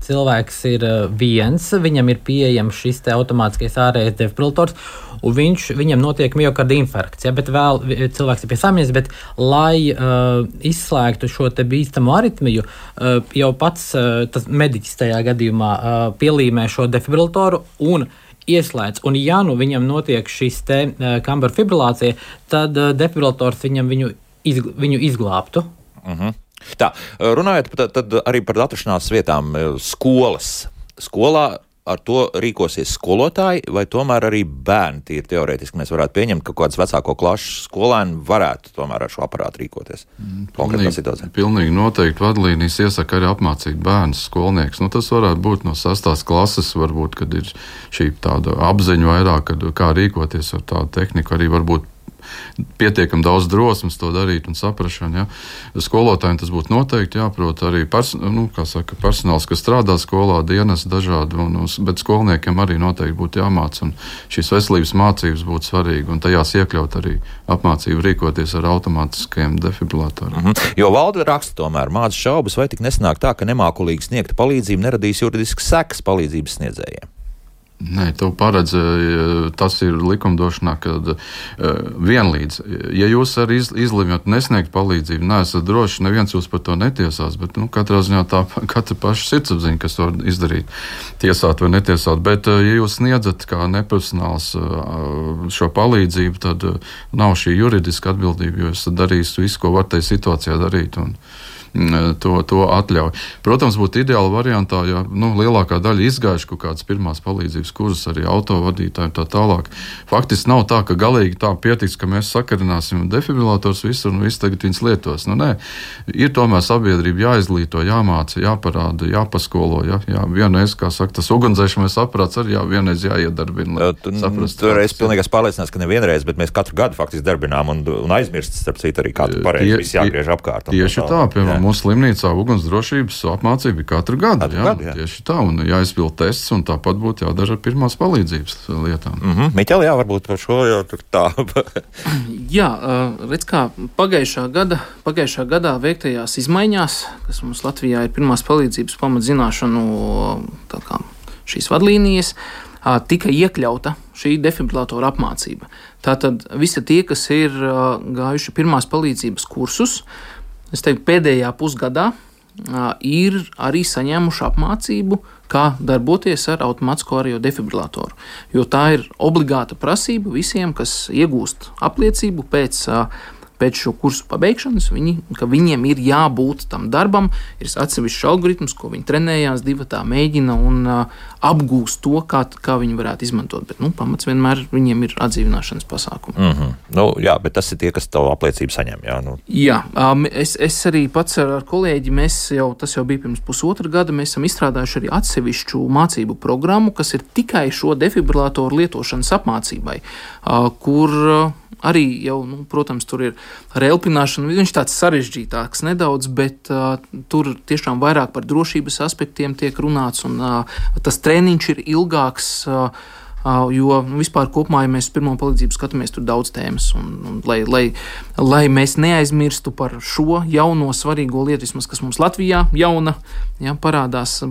cilvēks ir viens, viņam ir pieejams šis te automātiskais ārējais defibrillators, un viņam notiek miokarda infarkts, ja, bet vēl cilvēks ir pie samiņas, bet lai izslēgtu šo te bīstamo aritmiju, jau pats tas mediķis tajā gadījumā pielīmē šo defibrilatoru un ieslēdz. Un ja viņam notiek šis te kambara fibrilācija, tad defibrillators viņu izglābtu. Tā, runājot tad arī par atrašanās vietām skolā, ar to rīkosies skolotāji, vai tomēr arī bērni? Tīri teorētiski mēs varētu pieņemt, ka kaut kāds vecāko klašu skolēni varētu tomēr ar šo aparātu rīkoties. Konkrētā situācijā. Pilnīgi noteikti vadlīnijas iesaka arī apmācīt bērnus, skolnieks. Tas varētu būt no 6. klases, varbūt, kad ir šī tāda apziņa vairāk, kā rīkoties ar tādu tehniku, arī varbūt pietiekami daudz drosmes to darīt un saprašana. Ja. Skolotājiem tas būtu noteikti jāprot arī personāls, kas strādā skolā, dienas dažādi, bet skolniekiem arī noteikti būtu jāmāc, un šīs veselības mācības būtu svarīgi, un tajās iekļaut arī apmācību rīkoties ar automātiskajiem defibrillatoriem. Jo valde raksta tomēr māca šaubas, vai tik nesanāk tā, ka nemākulīgi sniegta palīdzība neradīs juridiskas sekas palīdzības sniedzējiem. Nē, to paredz, tas ir likumdošanā, kad vienlīdz. Ja jūs arī izlemjat nesniegt palīdzību, neesat droši, neviens jūs par to netiesās, bet katrā ziņā tā katra paša sirdsapziņa, kas to izdarīt, tiesāt vai netiesāt. Bet, ja jūs sniedzat kā neprofesionāls šo palīdzību, tad nav šī juridiska atbildība, jo jūs darīsiet visu, ko var tajā situācijā darīt. To atļauj. Protams, būtu ideāla variantā, ja lielākā daļa izgājuši kaut kādas pirmās palīdzības kursus, arī autovadītāji tā tālāk. Faktiski nav tā, ka galīgi tā pietiks, ka mēs sakarināsim defibrillators visur un viss tagad viņas lietos. Nē, ir tomēr sabiedrība jāizglīto, jāmāca, jāparāda, jāpaskolo. Vienreiz, kā saka, tas ugunsdzēšanas aparāts arī vienreiz jāiedarbina. Tur es pilnīgi pārliecināts, ka nevienreiz, bet mēs katru gadu faktiski darbinām un aizmirst, starp citu, arī katru pareizi viss jāgriež apkārt. Tieši tā, piemēram, mūsu slimnīcā ugunsdrošības apmācība ir katru gadu. Tieši tā, un jāizpild tests, un tāpat būtu jādara ar pirmās palīdzības lietām. Miķel, varbūt par šo jau tā. Redz kā pagājušā gadā veiktajās izmaiņās, kas mums Latvijā ir pirmās palīdzības pamatzināšanu šīs vadlīnijas, tika iekļauta šī defibrillatora apmācība. Tātad visi tie, kas ir gājuši pirmās palīdzības kursus, es teiktu, pēdējā pusgadā ir arī saņēmuši apmācību, kā darboties ar automātisko ārējo defibrillatoru. Jo tā ir obligāta prasība visiem, kas iegūst apliecību pēc šo kursu pabeigšanas, ka viņiem ir jābūt tam darbam, ir atsevišķs algoritms, ko viņi trenējās, divatā mēģina un apgūst to, kā viņi varētu izmantot. Bet pamats vienmēr viņiem ir atdzīvināšanas pasākumi. Bet tas ir tie, kas tavu apliecību saņem. Es arī pats ar kolēģi, tas jau bija pirms pusotra gada, mēs esam izstrādājuši arī atsevišķu mācību programmu, kas ir tikai šo defibrilatoru lietošanas apmācībai, kur arī jau, protams, tur ir ar elpināšanu. Viņš tāds sarežģītāks nedaudz, bet tur tiešām vairāk par drošības aspektiem tiek runāts, un tas treniņš ir ilgāks, jo vispār kopumā, ja mēs pirmo palīdzību skatāmies, tur daudz tēmas, un lai mēs neaizmirstu par šo jauno svarīgo lietu, vismaz, kas mums Latvijā jauna, parādās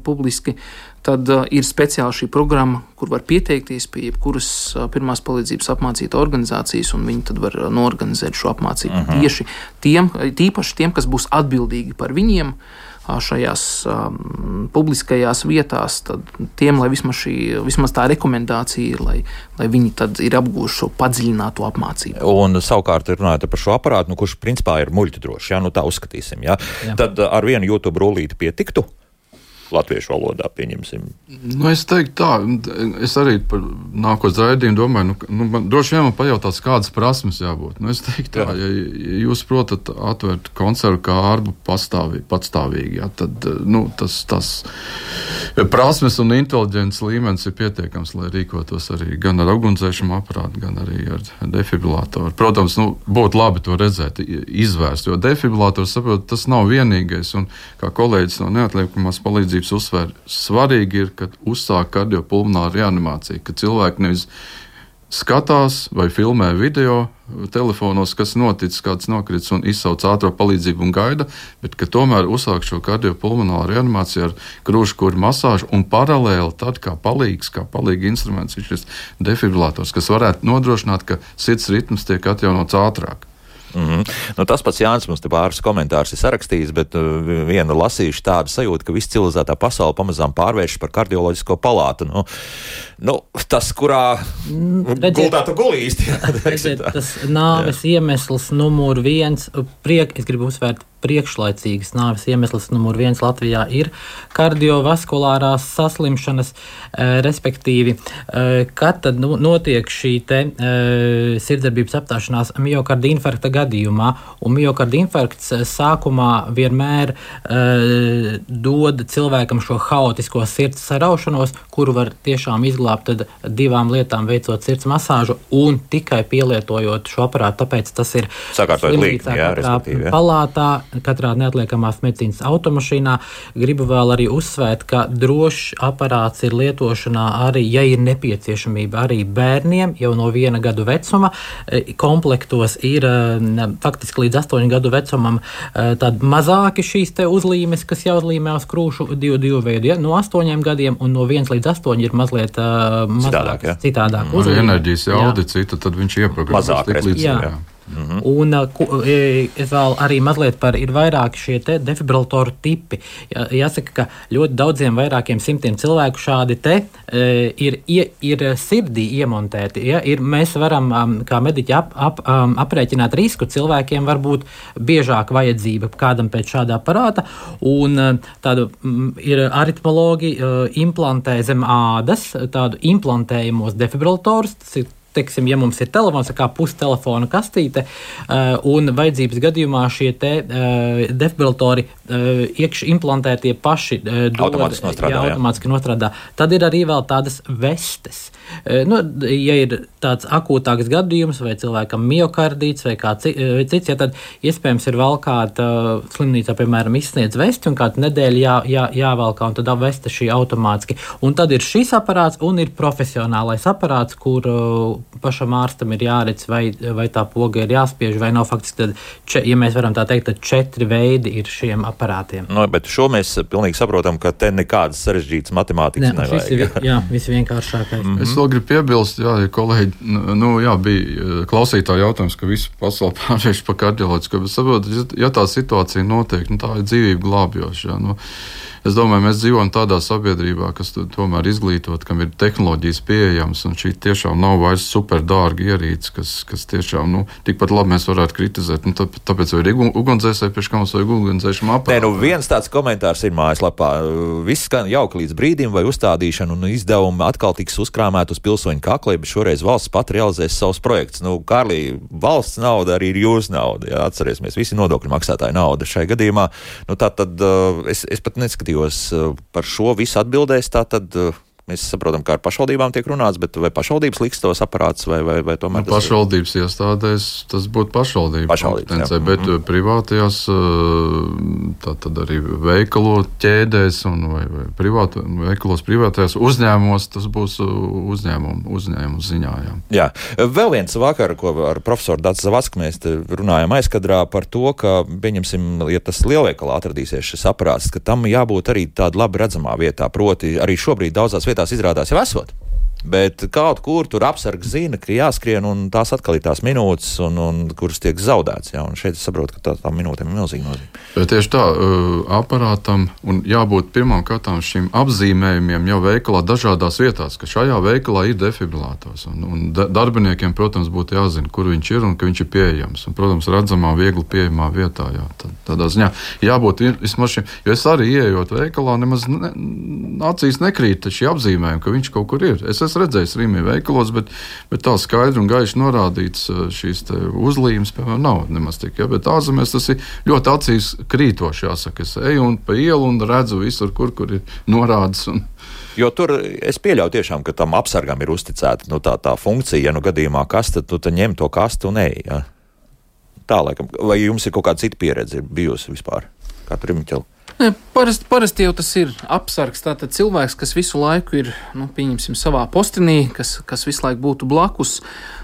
publiski, tad ir speciāli šī programma, kur var pieteikties pie jebkuras pirmās palīdzības apmācīta organizācijas, un viņi tad var norganizēt šo apmācību tieši tīpaši tiem, kas būs atbildīgi par viņiem, šajās publiskajās vietās, tad tiem, lai vismaz tā rekomendācija ir, lai viņi tad ir apgūši šo padziļināto apmācību. Un savukārt runājot par šo aparātu, kurš principā ir muļķdrošs, tā uzskatīsim, tad ar vienu YouTube rullīti pietiktu? Latviešu valodā, pieņemsim. Es teiktu tā, es arī par nākotnes raidījumu domāju, man droši vien man pajautās, kādas prasmes jābūt. Es teiktu tā, ja jūs protat atvērt konservu kārbu patstāvīgi, tad tas prasmes un inteliģences līmenis ir pietiekams, lai rīkotos arī gan ar ugunsdzēsējumu aparātu, gan arī ar defibrilatoru. Protams, būtu labi to redzēt, izvērst, jo defibrilatoru, saprot, tas nav vienīgais, un kā kolēģis no neatliekamās palīdzības uzsver, svarīgi ir, kad uzsāk kardiopulmonāru reanimāciju, ka cilvēki nevis skatās vai filmē video telefonos, kas noticis, kāds nokritis un izsauc ātro palīdzību un gaida, bet ka tomēr uzsāk šo kardiopulmonāru reanimāciju ar krūškuru masāžu un paralēli tad kā palīga instruments ir šis defibrillators, kas varētu nodrošināt, ka sirds ritms tiek atjaunots ātrāk. Tas pats Jānis mums te pāris komentārus ir sarakstījis, bet vienu lasījuši tādu sajūtu, ka viss civilizētā pasaule pamazām pārvēršas par kardioloģisko palātu. Tas, kurā gultā tu gulīsti. Tas nāves iemesls numur 1, es gribu uzsvērt, priekšlaicīgas nāves iemesls numur 1 Latvijā ir kardiovaskulārās saslimšanas, respektīvi, kad tad notiek šī te sirdsdarbības apstāšanās miokarda infarkta gadījumā, un miokarda infarkts sākumā vienmēr dod cilvēkam šo haotisko sirds saraušanos, kuru var tiešām izglābt tad 2 lietām, veicot sirds masāžu un tikai pielietojot šo aparātu, tāpēc tas ir slimnīcā palātā, katrā neatliekamās medicīnas automašīnā. Gribu vēl arī uzsvērt, ka drošs aparāts ir lietošanā arī, ja ir nepieciešamība arī bērniem jau no 1 gadu vecuma. Komplektos ir faktiski līdz 8 gadu vecumam tādi mazāki šīs te uzlīmes, kas jāuzlīmē uz krūšu 2 veidu, no 8 gadiem, un no 1 līdz 8 ir mazliet citādāk uzlīme. Enerģijas jaudi cita, tad viņš ieprogrammēs tik līdz. Un es vēl arī mazliet ir vairāki šie te defibrillatoru tipi. Jāsaka, ka ļoti daudziem vairākiem simtiem cilvēku šādi te ir sirdī iemontēti. Mēs varam, kā mediķi, aprēķināt risku. Cilvēkiem var būt biežāk vajadzība kādam pēc šāda aparāta, un tādu ir aritmologi implantē zem ādas tādu implantējumos defibrillatorus. Tas ir, teiksim, ja mums ir telefons, kā pustelefona kastīte, un vajadzības gadījumā šie te defibrillatori iekš implantētie paši automātiski nostrādā. Tad ir arī vēl tādas vestes. Ja ir tāds akūtāks gadījums, vai cilvēkam miokardīts, vai cits, tad iespējams ir vēl kāda slimnīcā, piemēram, izsniedz vesti, un kādu nedēļu jāvelkā, un tad vesta šī automātiski. Un tad ir šis aparāts, un ir profesionālais aparāts, kur pašam ārstam ir jāredz, vai tā poga ir jāspiež, vai nav faktiski, tad, ja mēs varam tā teikt, tad 4 veidi ir šiem aparātiem. Bet šo mēs pilnīgi saprotam, ka te nekādas sarežģītas matemātikas nevajag. Viss vienkāršākais. Es vēl gribu piebilst, ja kolēģi, bija klausītāji jautājums, ka visu pasauli pārvērš par kardioloģisko, bet saprotat, ja tā situācija notiek, tā ir dzīvību glābjoša. Es domāju, mēs dzīvojam tādā sabiedrībā, kas tomēr izglītot, kam ir tehnoloģijas pieejamas, un šī tiešām nav vairs super dārga ierīce, kas tiešām, tikpat labi mēs varētu kritizēt. Tāpēc ir ugunsdzēsēji, pēc kā mums vajag ugunsdzēsuma aparātu. Viens tāds komentārs ir mājaslapā. Viss skan jauki līdz brīdim, vai uzstādīšana un izdevumi atkal tiks uzkrāmēt uz pilsoņu kaklī, bet šoreiz valsts pat realizēs savus projektus. Kārlī, valsts nauda arī ir jūsu nauda. Jā, atcerēsimies, visi nodokļu maksātāji nauda šai gadījumā. Tātad es pat neskatījos par šo visu atbildēs, tātad mēs saprotam, kā ar pašvaldībām tiek runāts, bet vai pašvaldības liks tos aparātus, vai tomēr tas pašvaldības iestādēs, tas būtu pašvaldība kompetencija, bet privātajās, tātad arī veikalo ķēdēs vai veikalos privātajās uzņēmumos, tas būs uzņēmumu ziņā. Jā. Vēl viens vakar, ko ar profesoru Dacu Zavacku mēs runājam aizkadrā par to, ka, pieņemsim, ja tas lielveikalā atradīsies šis aparāts, ka tam jābūt arī tāda labi redzamā vietā, proti arī šobrīd daudzās vietās izrādās jau esot. Bet kaut kur tur apsargs zina, ka jāskrien, un tās atkal ir tās minūtes, un kuras tiek zaudētas. Ja? Un šeit es saprotu, ka tām minūtēm ir milzīga nozīme. Bet tieši tā, aparātam un jābūt pirmām kārtām šīm apzīmējumiem jau veikalā dažādās vietās, ka šajā veikalā ir defibrilātors. Un darbiniekiem, protams, būtu jāzina, kur viņš ir un ka viņš ir pieejams. Un, protams, redzamā, viegli pieejamā vietā. Jā, tādā ziņā jābūt vismaz šim, jo es arī ieejot veikalā, nemaz acīs nekrīt šī apzīmējuma, ka viņš kaut kur ir. Es esmu redzējis Rīmī veikalos, bet tā skaidri un gaiši norādīts šīs uzlīmes, piemēram, nav nemaz tik. Ja? Bet ārzemēs tas ir ļoti acīs krītoši, jāsaka. Es eju un pa ielu un redzu visur, kur ir norādes. Jo tur es pieļauju tiešām, ka tam apsargam ir uzticēta tā funkcija, ja gadījumā kaste, tu ņem to kastu un ej. Ja? Tā laikam. Vai jums ir kaut kāda cita pieredze bijusi vispār? Kā tur ir Miķeli? Parasti jau tas ir apsargs, tātad cilvēks, kas visu laiku ir, pieņemsim, savā postenī, kas visu laiku būtu blakus,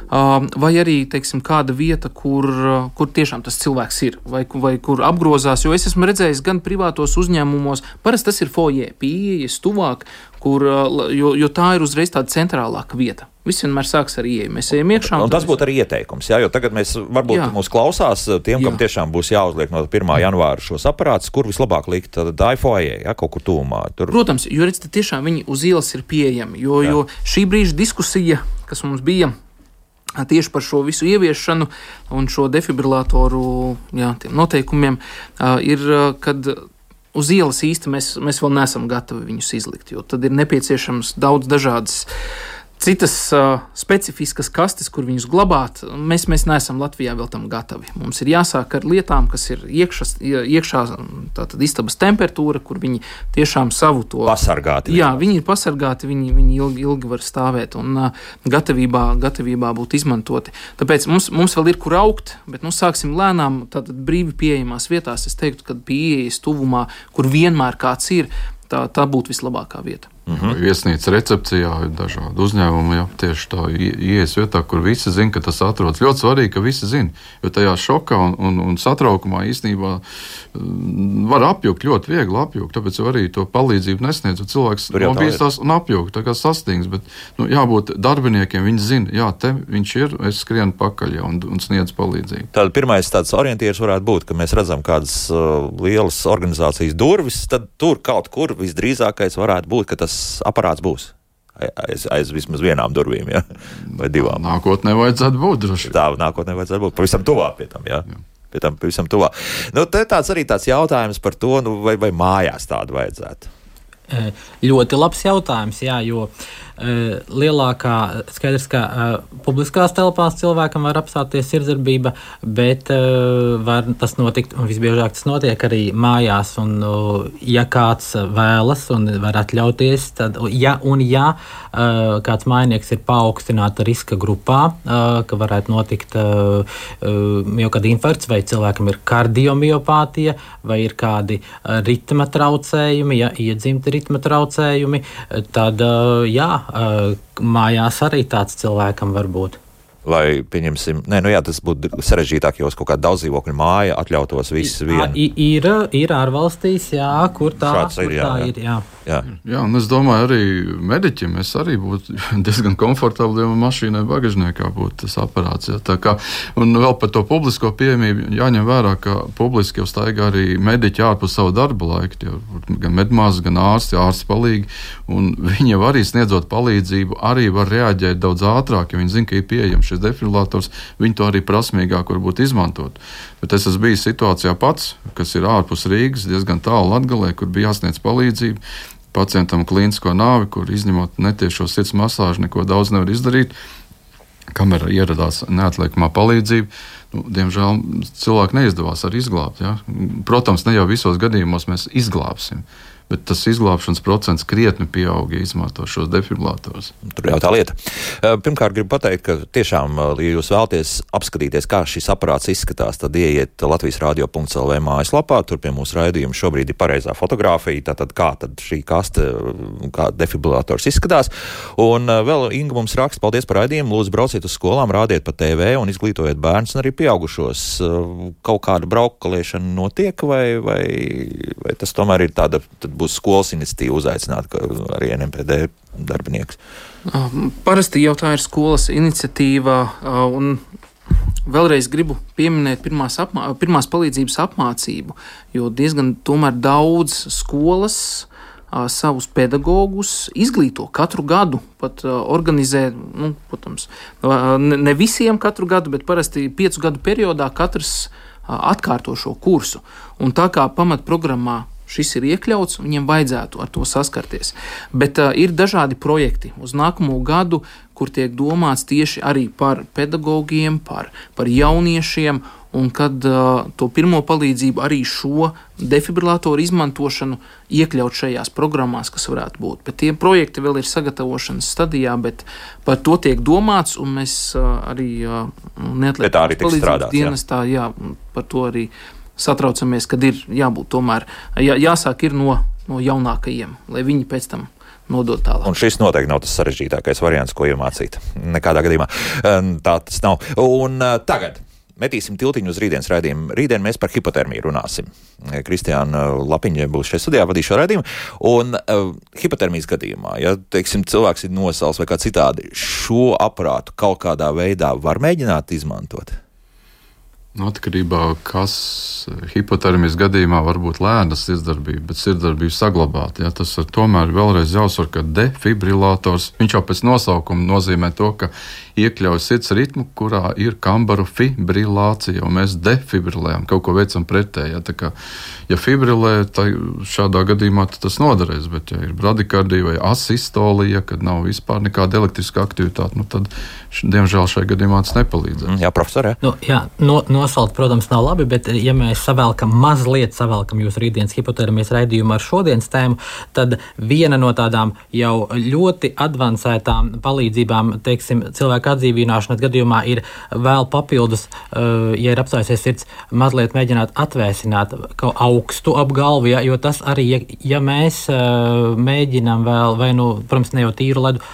vai arī, teiksim, kāda vieta, kur tiešām tas cilvēks ir, vai kur apgrozās, jo es esmu redzējis gan privātos uzņēmumos, parasti tas ir foyer, pieejas tuvāk, jo tā ir uzreiz tāda centrālāka vieta. Viss vienmēr sāks ar ieeju. Mēs ejam iekšā. Un tas būtu arī ieteikums, jā, jo tagad varbūt mūs klausās tiem, kam tiešām būs jāuzliek no 1. janvāra šos aparātus, kur vislabāk likt tā foyer, ja, kaut kur tūmā. Tur... Protams, jo redz, tiešām viņi uz ielas ir pieejami, jo šī brīža diskusija, kas mums bija tieši par šo visu ieviešanu un šo defibrilātoru tiem noteikumiem, ir, kad uz ielas īsti mēs vēl neesam gatavi viņus izlikt, jo tad ir nepieciešams daudz dažādas citas specifiskas kastes, kur viņus glabāt. Mēs neesam Latvijā vēl tam gatavi. Mums ir jāsāk ar lietām, kas ir iekšā tātad istabas temperatūra, kur viņi tiešām savu to... Pasargāti. Jā, viņi ir pasargāti, viņi ilgi var stāvēt un gatavībā būt izmantoti. Tāpēc mums vēl ir kur augt, bet sāksim lēnām, tātad brīvi pieejamās vietās. Es teiktu, ka pieejas tuvumā, kur vienmēr kāds ir, tā būtu vislabākā vieta. Viesnīca recepcijā ir dažādi uzņēmumi, tieši tā ieejas vietā, kur visi zina, ka tas atrodas. Ļoti svarīgi, ka visi zina, jo tajā šokā un satraukumā īstenībā var apjukt, ļoti viegli apjukt, tāpēc arī to palīdzību nesniedz, jo cilvēks nobīstās un apjukt, tā kā sastīgs, bet jābūt darbiniekiem, viņi zina, te viņš ir, es skrienu pakaļ un sniedz palīdzību. Tad pirmais tāds orientieris varētu būt, ka mēs redzam kādas lielas organizācijas durvis, tad tur kaut kur visdrīzākais varētu būt, ka tas aparāts būs aiz vismaz vienām durvīm, ja? Vai divām. Nākotnē vajadzētu būt droši. Tā nākotnē vajadzētu būt pavisam tuvā pie tam, jā. Pie tam pavisam tuvā. Te tāds jautājums par to, vai mājās tādu vajadzētu. Ļoti labs jautājums, jā, jo lielākā, skaidrs, ka publiskās telpās cilvēkam var apstāties sirdsdarbība, bet var tas notikt, un visbiežāk tas notiek arī mājās, un ja kāds vēlas un var atļauties, tad, ja kāds mājnieks ir paaugstināta riska grupā, ka varētu notikt miokarda infarkts, vai cilvēkam ir kardiomiopātija, vai ir kādi ritma traucējumi, iedzimti ritma traucējumi, tad mājās arī tāds cilvēkam var būt. Vai, pieņemsim, tas būtu sarežģītāk, jo kaut kāda daudzdzīvokļu māja atļautos visu vienu. Ir ārvalstīs, kur tā ir. Jā, un es domāju, arī mediķim es arī būtu diezgan komfortabli, ja mašīnai bagažniekā būtu tas aparāts. Jā. Tā kā, un vēl par to publisko pieejamību jāņem vērā, ka publiski jau staigā arī mediķi ārpus savu darba laiku, gan medmāsas, gan ārsti palīgi, un viņi jau arī sniedzot palīdzību, arī var reaģēt daudz ātrāk, ja viņi zina, ka ir pieejams šis defibrilātors, viņi to arī prasmīgāk varbūt izmantot. Bet es esmu bijis situācijā pats, kas ir ārpus Rīgas, diezgan tālu Latgalē, kur bija jāsniedz palīdzību. Pacientam klīnisko nāvi, kur izņemot netiešo sirds masāžu, neko daudz nevar izdarīt. Kamēr ieradās neatliekamā palīdzība, diemžēl cilvēku neizdevās arī izglābt. Ja? Protams, ne jau visos gadījumos mēs izglābsim, bet tas izglābšanas procents krietni pieaug, ja izmanto šos defibrilātorus. Tur jau tā lieta. Pirmkārt, gribu pateikt, ka tiešām, ja jūs vēlaties apskatīties, kā šis aparāts izskatās, tad ieiet Latvijas radio.lv mājaslapā, tur pie mūsu raidījuma šobrīd ir pareizā fotogrāfija, tātad kā tad šī kaste, kā defibrilātors izskatās. Un vēl Inga mums raksta, paldies par raidījumu, lūdzu brauciet uz skolām, rādiet pa TV un izglītojiet bērnus un arī pieaugušos. Kaut kāda braukalēšana notiek, vai tas tomēr ir tāda būs skolas iniciatīva uzaicināt arī NMPD darbinieks? Parasti jau tā ir skolas iniciatīva, un vēlreiz gribu pieminēt pirmās palīdzības apmācību, jo diezgan tomēr daudz skolas savus pedagogus izglīto katru gadu, pat organizē, protams, ne visiem katru gadu, bet parasti 5 gadu periodā katrs atkārto šo kursu. Un tā kā pamatprogrammā šis ir iekļauts, viņiem vajadzētu ar to saskarties. Bet ir dažādi projekti uz nākamo gadu, kur tiek domāts tieši arī par pedagogiem, par jauniešiem, un kad to pirmo palīdzību arī šo defibrilatoru izmantošanu iekļaut šajās programmās, kas varētu būt. Bet tie projekti vēl ir sagatavošanas stadijā, bet par to tiek domāts, un mēs arī neatliekam palīdzības dienestā, par to arī satraucamies, kad ir jābūt tomēr, jāsāk ir no jaunākajiem, lai viņi pēc tam nodot tālāk. Un šis noteikti nav tas sarežģītākais variants, ko iemācīt. Nekādā gadījumā tā tas nav. Un tagad metīsim tiltiņu uz rītdienas raidījumu. Rītdien mēs par hipotermiju runāsim. Kristiāna Lapiņa būs šeit studijā, vadīs šo raidījumu. Un hipotermijas gadījumā, ja, teiksim, cilvēks ir nosals vai kā citādi, šo aparātu kaut kādā veidā var mēģināt izmantot? Atkarībā, kas hipotermijas gadījumā var būt lēna sirdsdarbība, bet sirdsdarbība saglabāt. Ja, tas ir tomēr vēlreiz jāuzsver, ka defibrillators, viņš jau pēc nosaukuma nozīmē to, ka iekļauj sirds ritmu, kurā ir kambaru fibrilācija, un mēs defibrilējam, kaut ko veicam pretēji. Ja, tā kā, ja fibrilē, tad šādā gadījumā tas noderēs, bet ja ir bradikardija vai asistolija, kad nav vispār nekāda elektriska aktivitāte, tad, diemžēl, šajā gadījumā tas nepalīdzēs. Jā, profesor, jā. Nosalt, protams, nav labi, bet ja mēs mazliet savelkam jūsu rītdienas hipotermijas raidījumu ar šodienas tēmu, tad viena no tādām jau ļoti advancētām palīdzībām, teiksim, cilvēku atdzīvināšanas gadījumā ir vēl papildus, ja ir apstājusies sirds, mazliet mēģināt atvēsināt kaut augstu ap galvu, jo tas arī, ja mēs mēģinām vēl, vai protams, ne jau tīru ledu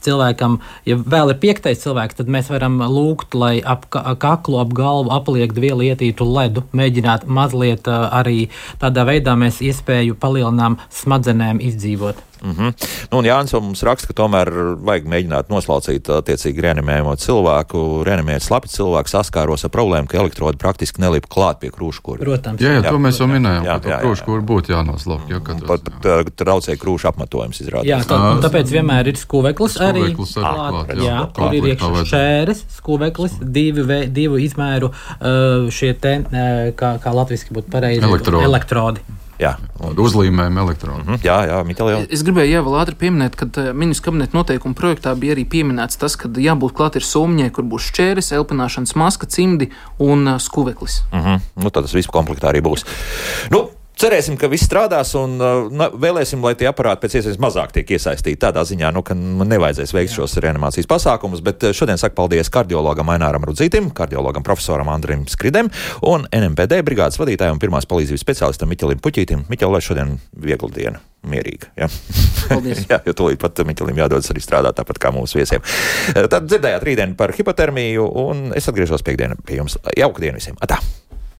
cilvēkam, ja vēl ir 5. cilvēks, tad mēs varam lūgt, lai ap kaklu, ap galvu apliekt vielu ietītu ledu, mēģināt mazliet arī tādā veidā mēs iespēju palielinām smadzenēm izdzīvot. Un Jānis mums raksta, ka tomēr vajag mēģināt noslaucīt attiecīgi reanimējumu cilvēku, reanimēt slapi cilvēku saskāros ar problēmu, ka elektrodi praktiski nelip klāt pie krūškura. Protams. Jā, to mēs jau minējām, ka krūškura būtu jānoslauk. Pat traucēja krūšu apmetojums izrādās. Jā, tāpēc vienmēr ir skuveklis arī klāt. Jā, tur ir iekšā šēres, skuveklis, divu izmēru šie te, kā latviski būtu pareizi, elektrodi. Jā, uzlīmējam elektronu. Jā, Miķeli. Es gribēju vēl ātri pieminēt, ka ministru kabineta noteikuma projektā bija arī pieminēts tas, ka jābūt klāt ir sumņai, kur būs šķēres, elpināšanas maska, cimdi un skuveklis. Tad tas viss komplektā arī būs. Cerēsim, ka viss strādās un vēlēsim, lai tie aparāti pēc iespējas mazāk tiek iesaistīti tādā ziņā, ka nevajadzēs veikt šos reanimācijas pasākumus, bet šodien saku paldies kardiologam Aināram Rudzītim, kardiologam profesoram Andrim Skridem un NMPD brigādes vadītājam un pirmās palīdzības speciālistam Miķelim Puķītim. Miķel, lai šodien viegla diena, mierīga. Ja? Paldies. Jā, jo tūlīt pat Miķelim jādodas arī strādāt tāpat kā mūsu viesiem. Tad dzirdējāt rītdien par hipotermiju un es atgriežos piekdien pie jums. Jauka diena visiem. Atā!